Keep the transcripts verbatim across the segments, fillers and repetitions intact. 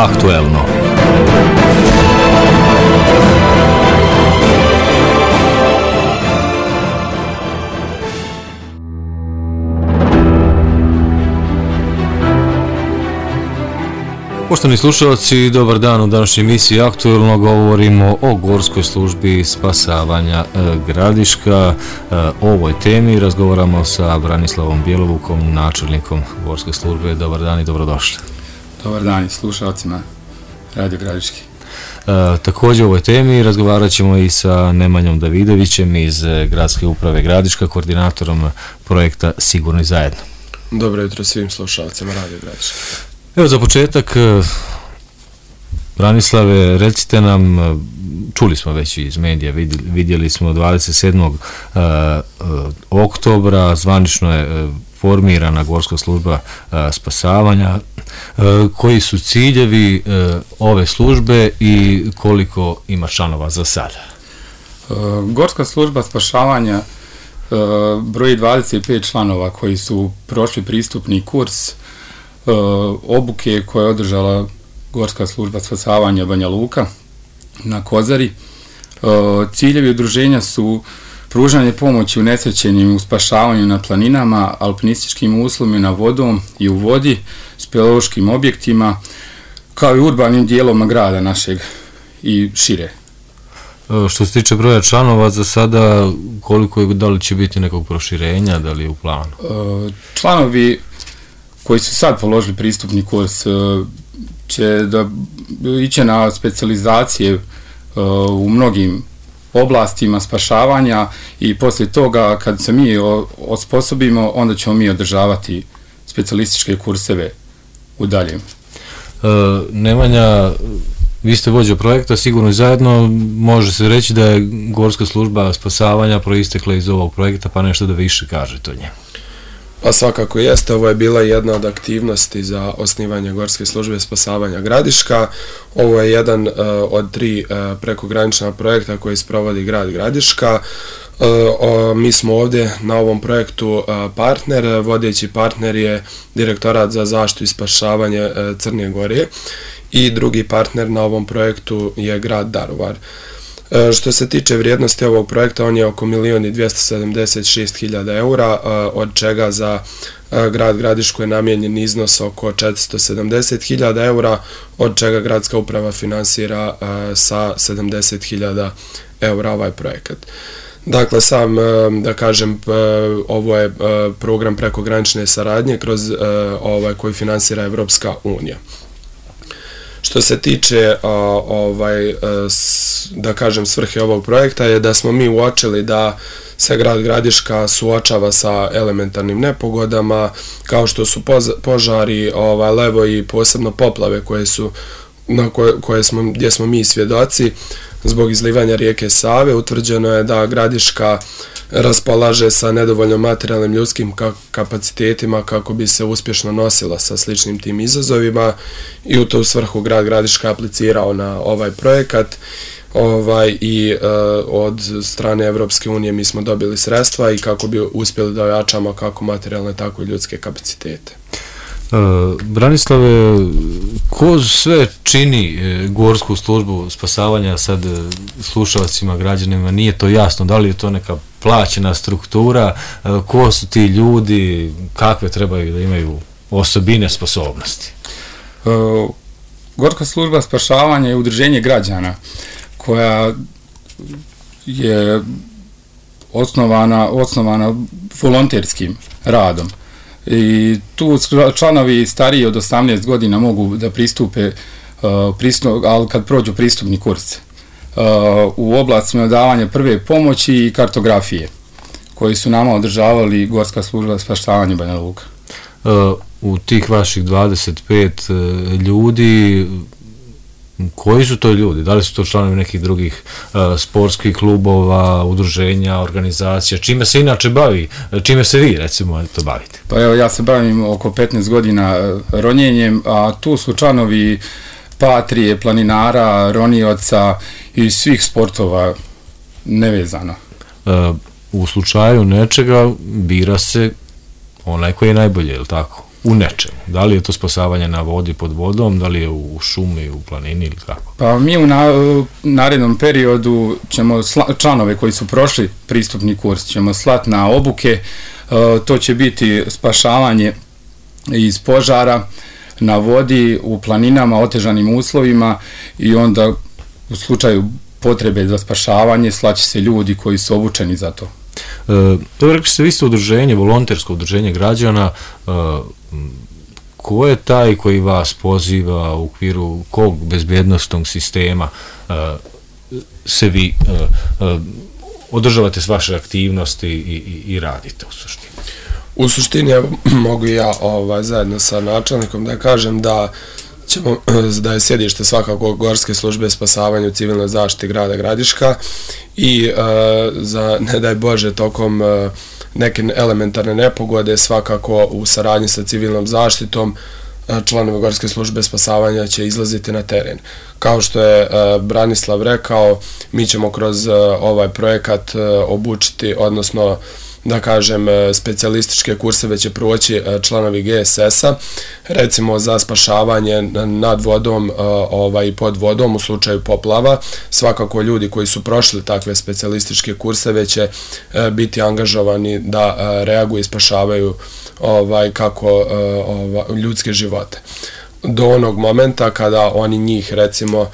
Aktuelno. Poštovani slušalci, dobar dan. U današnjoj emisiji Aktuelno govorimo o Gorskoj službi spasavanja Gradiška. O ovoj temi razgovaramo sa Branislavom Bjelovukom, načelnikom Gorske službe. Dobar dan i dobrodošli. Dobar dan i slušalcima Radio Gradiški. E, također o ovoj temi razgovarat ćemo i sa Nemanjom Davidovićem iz Gradske uprave Gradiška, koordinatorom projekta Sigurni zajedno. Dobro jutro svim slušalcima Radio Gradiška. Evo za početak, Branislave, recite nam, čuli smo već iz medija, vidjeli smo dvadeset sedmog oktobra, zvanično je formirana Gorska služba spasavanja. Koji su ciljevi ove službe i koliko ima članova za sada? Gorska služba spašavanja broji dvadeset pet članova koji su prošli pristupni kurs obuke koje je održala Gorska služba spasavanja Banja Luka na Kozari. Ciljevi udruženja su pružanje pomoći unesrećenim u spašavanju na planinama, alpinističkim uslovima vodom i u vodi, speleološkim objektima, kao i urbanim dijelovima grada našeg i šire. Što se tiče broja članova, za sada koliko je, da li će biti nekog proširenja, da li je u planu? Članovi koji su sad položili pristupni kurs će da iće na specijalizacije u mnogim oblastima spašavanja i poslije toga kad se mi osposobimo, onda ćemo mi održavati specijalističke kurseve u daljem. E, Nemanja, vi ste vođa projekta Sigurno zajedno, može se reći da je Gorska služba spasavanja proistekla iz ovog projekta, pa nešto da više kažete o njemu. Pa svakako jeste, ovo je bila jedna od aktivnosti za osnivanje Gorske službe spasavanja Gradiška. Ovo je jedan uh, od tri uh, prekogranična projekta koji sprovodi grad Gradiška. Uh, uh, mi smo ovdje na ovom projektu uh, partner, vodeći partner je Direktorat za zaštitu i spašavanje uh, Crne Gore i drugi partner na ovom projektu je grad Daruvar. Što se tiče vrijednosti ovog projekta, on je oko milijun i dvjesto sedamdeset šest hiljada eura, od čega za grad Gradišku je namijenjen iznos oko četiristo sedamdeset hiljada eura, od čega gradska uprava finansira sa sedamdeset hiljada eura ovaj projekat. Dakle, sam, da kažem, ovo je program prekogranične saradnje kroz ovaj koji finansira Evropska unija. Što se tiče ovaj, da kažem svrhe ovog projekta je da smo mi uočili da se grad Gradiška suočava sa elementarnim nepogodama kao što su požari, ovaj, levo i posebno poplave koje su na koje, koje smo, gdje smo mi svjedoci zbog izlivanja rijeke Save. Utvrđeno je da Gradiška raspolaže sa nedovoljno materijalnim ljudskim kapacitetima kako bi se uspješno nosila sa sličnim tim izazovima i u tu svrhu grad Gradiška aplicirao na ovaj projekat ovaj, i uh, od strane Evropske unije mi smo dobili sredstva i kako bi uspjeli da ojačamo kako materijalne tako i ljudske kapacitete. Uh, Branislave, ko sve čini e, Gorsku službu spasavanja, sad e, slušalcima, građanima, nije to jasno, da li je to neka plaćena struktura, e, ko su ti ljudi, kakve trebaju da imaju osobine, sposobnosti? Uh, Gorska služba spašavanja je udruženje građana koja je osnovana, osnovana volonterskim radom. I tu članovi stariji od osamnaest godina mogu da pristupe, uh, pristup, ali kad prođu pristupni kurs uh, u oblastima davanja prve pomoći i kartografije koji su nama održavali Gorska služba spasavanja Banja Luka. Uh, u tih vaših dvadeset pet uh, ljudi, koji su to ljudi? Da li su to članovi nekih drugih uh, sportskih klubova, udruženja, organizacija? Čime se inače bavi? Čime se vi, recimo, to bavite? Pa evo, ja se bavim oko petnaest godina ronjenjem, a tu su članovi Patrije, planinara, ronioca i svih sportova nevezano. Uh, u slučaju nečega bira se onaj koji je najbolje, je li tako? u nečemu. Da li je to spasavanje na vodi, pod vodom, da li je u šumi, u planini ili kako? Pa mi u na, narednom periodu ćemo sla, članove koji su prošli pristupni kurs ćemo slati na obuke. E, to će biti spašavanje iz požara na vodi, u planinama, otežanim uslovima i onda u slučaju potrebe za spašavanje slaće se ljudi koji su obučeni za to. E, to rekli ste, vi ste udruženje, volontersko udruženje građana. E, ko je taj koji vas poziva u okviru kog bezbjednostnog sistema e, se vi e, e, održavate s vaše aktivnosti i, i, i radite u suštini? U suštini, evo, mogu ja ovaj, zajedno sa načelnikom da kažem da ćemo, da je sjedište svakako Gorske službe spasavanja u civilnoj zaštiti grada Gradiška i e, za, ne daj Bože, tokom e, neke elementarne nepogode svakako u saradnji sa civilnom zaštitom e, članovi Gorske službe spasavanja će izlaziti na teren. Kao što je e, Branislav rekao, mi ćemo kroz e, ovaj projekat e, obučiti, odnosno da kažem, specijalističke kurseve će proći članovi G S S-a, recimo za spašavanje nad vodom ovaj, i pod vodom u slučaju poplava. Svakako ljudi koji su prošli takve specijalističke kurseve će biti angažovani da reaguju i spašavaju ovaj, kako ovaj, ljudske živote. Do onog momenta kada oni njih, recimo,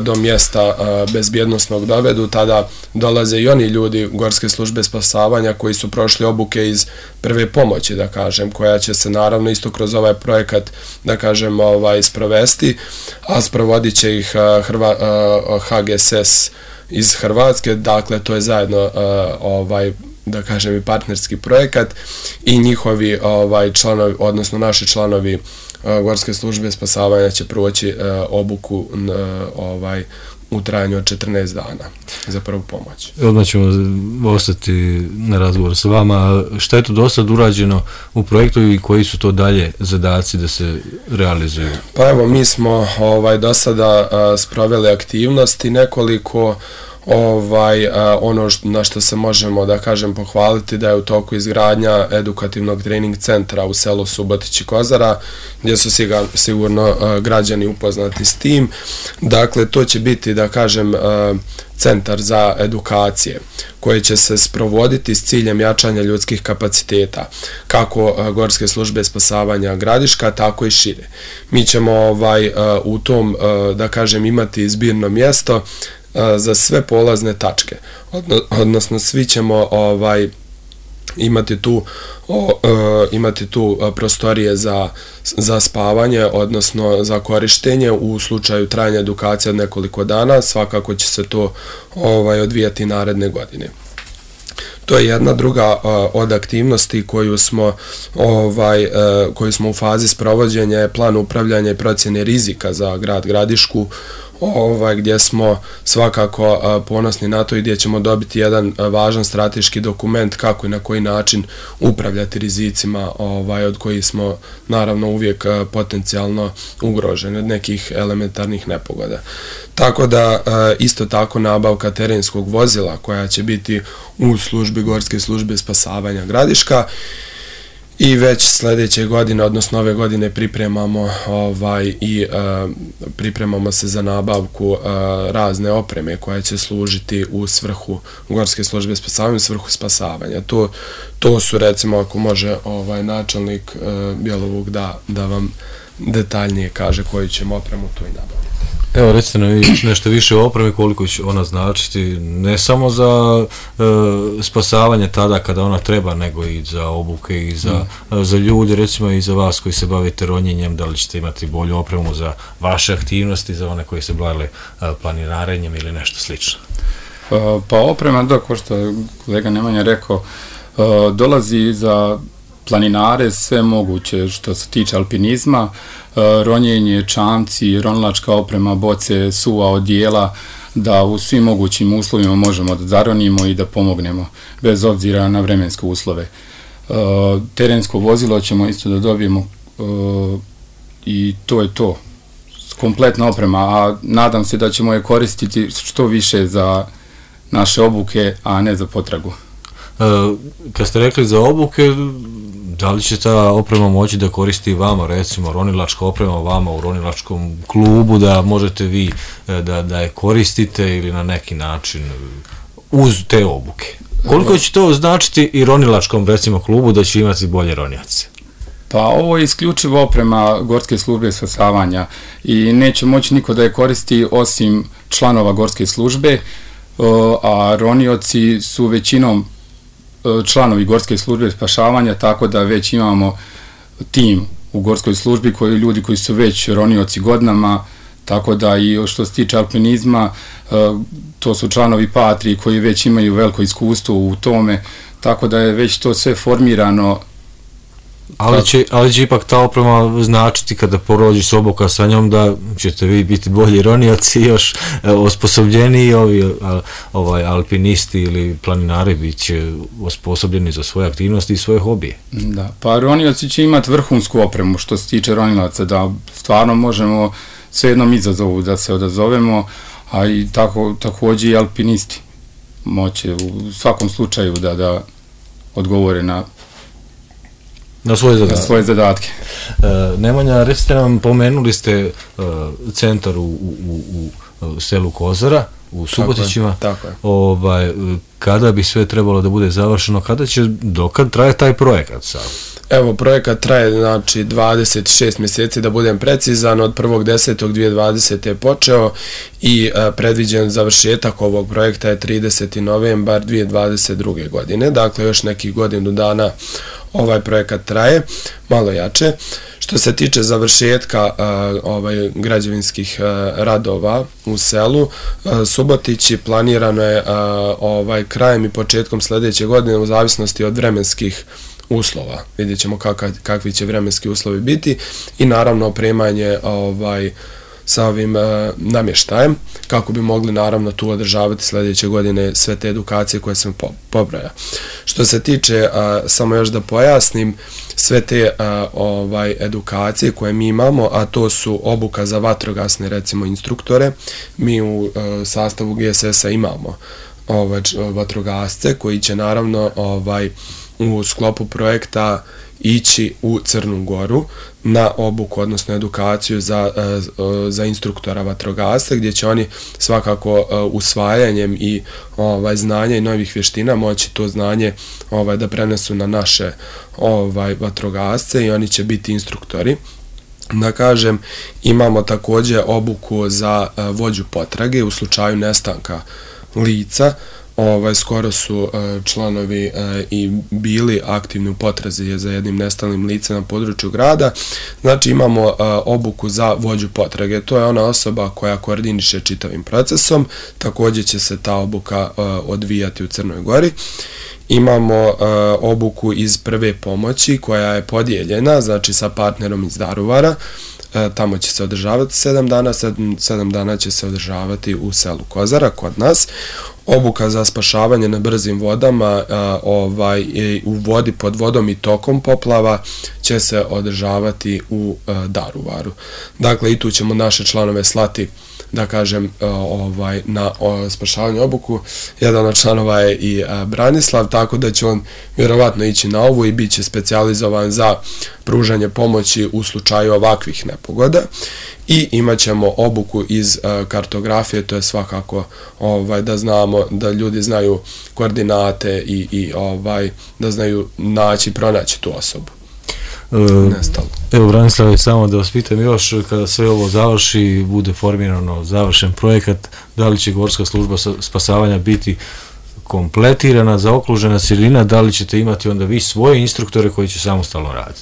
do mjesta bezbjednosnog dovedu, tada dolaze i oni ljudi Gorske službe spasavanja koji su prošli obuke iz prve pomoći, da kažem, koja će se naravno isto kroz ovaj projekat, da kažem, ovaj, sprovesti, a sprovodit će ih Hrva, H G S S iz Hrvatske, dakle to je zajedno ovaj, da kažem, i partnerski projekat i njihovi ovaj, članovi, odnosno naši članovi Gorske službe spasavanja će proći uh, obuku uh, ovaj, u trajanju od četrnaest dana za prvu pomoć. Odmah ćemo ostati na razgovor s vama. Šta je to do sad urađeno u projektu i koji su to dalje zadaci da se realizuju? Pa evo, mi smo ovaj, do sada uh, sproveli aktivnosti nekoliko. Ovaj, a, ono što, na što se možemo, da kažem, pohvaliti da je u toku izgradnja edukativnog trening centra u selu Subotić i Kozara, gdje su siga, sigurno a, građani upoznati s tim. Dakle, to će biti, da kažem, a, centar za edukacije koje će se sprovoditi s ciljem jačanja ljudskih kapaciteta, kako a, Gorske službe spasavanja Gradiška, tako i šire. Mi ćemo ovaj, a, u tom, a, da kažem, imati zbirno mjesto za sve polazne tačke, odnosno svi ćemo ovaj imati tu o, e, imati tu prostorije za, za spavanje, odnosno za korištenje u slučaju trajanja edukacije od nekoliko dana. Svakako će se to ovaj odvijati naredne godine. To je jedna druga uh, od aktivnosti koju smo ovaj uh, koju smo u fazi sprovođenja, je plan upravljanja i procjene rizika za grad Gradišku, ovaj gdje smo svakako uh, ponosni na to i gdje ćemo dobiti jedan uh, važan strateški dokument kako i na koji način upravljati rizicima ovaj od kojih smo naravno uvijek uh, potencijalno ugroženi od nekih elementarnih nepogoda. Tako da uh, isto tako nabavka terenskog vozila koja će biti u službi Gorske službe spasavanja Gradiška i već sljedeće godine, odnosno ove godine pripremamo ovaj i uh, pripremamo se za nabavku uh, razne opreme koja će služiti u svrhu Gorske službe spasavanja, u svrhu spasavanja. To, to su, recimo, ako može ovaj načelnik uh, Bjelovog da, da vam detaljnije kaže koju ćemo opremu to i nabaviti. Evo, recite nam nešto više o opremi, koliko će ona značiti, ne samo za e, spasavanje tada kada ona treba, nego i za obuke i za, mm. za ljudi, recimo i za vas koji se bavite ronjenjem, da li ćete imati bolju opremu za vaše aktivnosti, za one koji se bavili e, planinarenjem ili nešto slično? Pa, pa oprema, da, ko što je kolega Nemanja rekao, e, dolazi za planinare sve moguće što se tiče alpinizma, ronjenje, čamci, ronilačka oprema, boce, suva odijela, da u svim mogućim uslovima možemo da zaronimo i da pomognemo, bez obzira na vremenske uslove. Terensko vozilo ćemo isto da dobijemo i to je to. Kompletna oprema, a nadam se da ćemo je koristiti što više za naše obuke, a ne za potragu. Kad ste rekli za obuke, Da li će ta oprema moći da koristi vama, recimo ronilačka oprema vama u ronilačkom klubu, da možete vi da, da je koristite ili na neki način uz te obuke? Koliko će to značiti i ronilačkom, recimo, klubu da će imati bolje ronjace? Pa ovo je isključivo oprema Gorske službe spasavanja i neće moći niko da je koristi osim članova Gorske službe, a ronioci su većinom članovi Gorske službe spašavanja, tako da već imamo tim u Gorskoj službi koji ljudi koji su već ronioci godinama, tako da i što se tiče alpinizma, to su članovi Patrije koji već imaju veliko iskustvo u tome, tako da je već to sve formirano. Ali će, ali će ipak ta oprema značiti kada porođiš obuka sa njom da ćete vi biti bolji ronioci, još osposobljeni, ovi ovaj, alpinisti ili planinari bit će osposobljeni za svoje aktivnosti i svoje hobije. Da, pa ronioci će imati vrhunsku opremu što se tiče ronilaca, da stvarno možemo sve jednom izazovu da se odazovemo, a i tako, također i alpinisti moće u svakom slučaju da, da odgovore na Na svoje zadatke. Na svoje zadatke. E, Nemanja, recite nam, pomenuli ste e, centar u, u, u, u selu Kozara, u Subotićima. Tako je, tako je. Ovaj, kada bi sve trebalo da bude završeno, kada će, dokad traje taj projekat sad? Evo, projekat traje, znači, dvadeset šest mjeseci, da budem precizan, od prvog desetog dvije tisuće dvadesete je počeo i a, predviđen završetak ovog projekta je trideseti novembar dvije tisuće dvadeset druge godine, dakle još nekih godinu dana ovaj projekat traje, malo jače. Što se tiče završetka a, ovaj, građevinskih a, radova u selu, a, Subotići planirano je a, ovaj, krajem i početkom sljedeće godine u zavisnosti od vremenskih uslova. Vidjet ćemo kakav, kakvi će vremenski uslovi biti i naravno opremanje ovaj, sa ovim uh, namještajem, kako bi mogli naravno tu održavati sljedeće godine sve te edukacije koje sam po, pobraja. Što se tiče, uh, samo još da pojasnim, sve te uh, ovaj, edukacije koje mi imamo, a to su obuka za vatrogasne, recimo, instruktore. Mi u uh, sastavu G S S-a imamo ovaj, vatrogasce koji će naravno ovaj, u sklopu projekta ići u Crnu Goru na obuku, odnosno edukaciju za, za instruktora vatrogasca, gdje će oni svakako usvajanjem i ovaj, znanja i novih vještina moći to znanje ovaj, da prenesu na naše ovaj, vatrogasce i oni će biti instruktori. Da kažem, imamo također obuku za vođu potrage u slučaju nestanka lica. Ovaj, skoro su uh, članovi uh, i bili aktivni u potrazi za jednim nestalim licem na području grada. Znači imamo uh, obuku za vođu potrage. To je ona osoba koja koordiniše čitavim procesom. Također će se ta obuka uh, odvijati u Crnoj Gori. Imamo uh, obuku iz prve pomoći koja je podijeljena, znači sa partnerom iz Daruvara. Uh, tamo će se održavati sedam dana, sedam, sedam dana će se održavati u selu Kozara kod nas. Obuka za spašavanje na brzim vodama, a, ovaj, u vodi pod vodom i tokom poplava će se održavati u a, Daruvaru. Dakle, i tu ćemo naše članove slati, da kažem, a, ovaj, na o, spašavanje obuku. Jedan od članova je i a, Branislav, tako da će on vjerovatno ići na ovu i bit će specijalizovan za pružanje pomoći u slučaju ovakvih nepogoda. I imat ćemo obuku iz uh, kartografije, to je svakako ovaj, da znamo, da ljudi znaju koordinate i, i ovaj, da znaju naći, pronaći tu osobu. E, Nestalo. Evo, Branislave, samo da vas pitam još, kada sve ovo završi, bude formirano završen projekat, da li će Gorska služba spasavanja biti kompletirana, zaokružena cjelina, da li ćete imati onda vi svoje instruktore koji će samostalno raditi?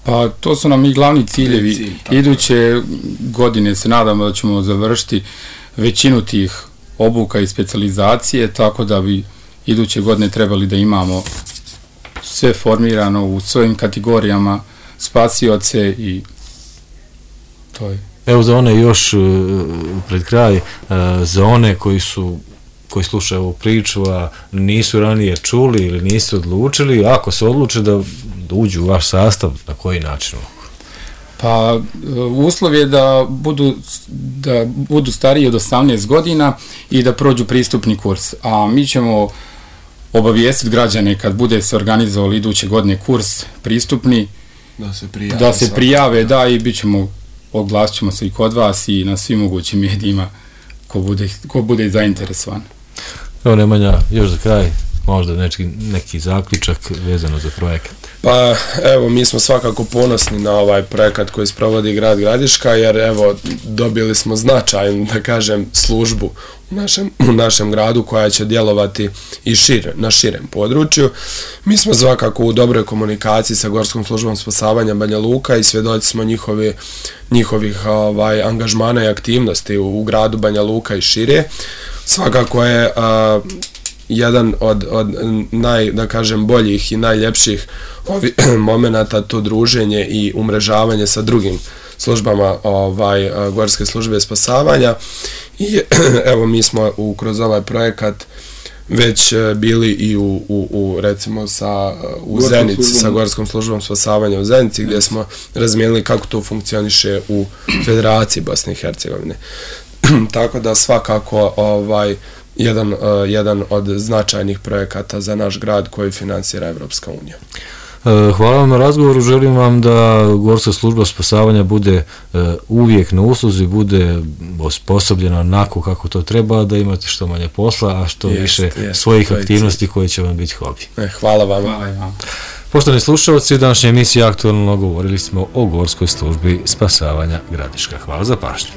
Pa to su nam i glavni ciljevi. Cilj, Iduće godine se nadamo da ćemo završiti većinu tih obuka i specijalizacije, tako da bi iduće godine trebali da imamo sve formirano u svojim kategorijama, spasioce i to je. Evo za one još pred kraj, za one koji su koji slušaju ovu priču, a nisu ranije čuli ili nisu odlučili, ako se odluče da uđu u vaš sastav, na koji način? Pa uslov je da budu, da budu stariji od osamnaest godina i da prođu pristupni kurs, a mi ćemo obavijestiti građane kad bude se organizovali iduće godine kurs pristupni, da se prijave, da se prijave da, i bit ćemo, oglasit ćemo se i kod vas i na svim mogućim medijima ko bude, ko bude zainteresovan. Evo Nemanja, još za kraj, možda neki, neki zaključak vezano za projekat. Pa evo, mi smo svakako ponosni na ovaj projekat koji sprovodi grad Gradiška, jer evo, dobili smo značajnu, da kažem, službu u našem, u našem gradu koja će djelovati i šire, na širem području. Mi smo svakako u dobroj komunikaciji sa Gorskom službom spasavanja Banja Luka i svjedoci smo njihovi, njihovih ovaj, angažmana i aktivnosti u, u gradu Banja Luka i šire. Svakako je a, jedan od, od naj, da kažem, boljih i najljepših ovi, momenata to druženje i umrežavanje sa drugim službama ovaj, Gorske službe spasavanja. I evo, mi smo u, kroz ovaj projekat već bili i u, u, u recimo sa, u Zenici, sa Gorskom službom spasavanja u Zenici, gdje smo razmijenili kako to funkcioniše u Federaciji Bosne i Hercegovine. Tako da svakako ovaj, jedan, uh, jedan od značajnih projekata za naš grad koji finansira Evropska unija. Hvala vam na razgovoru, želim vam da Gorska služba spasavanja bude uvijek na usluzi, bude osposobljena onako kako to treba, da imate što manje posla, a što jest, više jest, svojih aktivnosti koje će vam biti hobi. E, hvala vam. Hvala vam. Poštovani slušalci, u današnjoj emisiji Aktualno govorili smo o Gorskoj službi spasavanja Gradiška. Hvala za pažnju.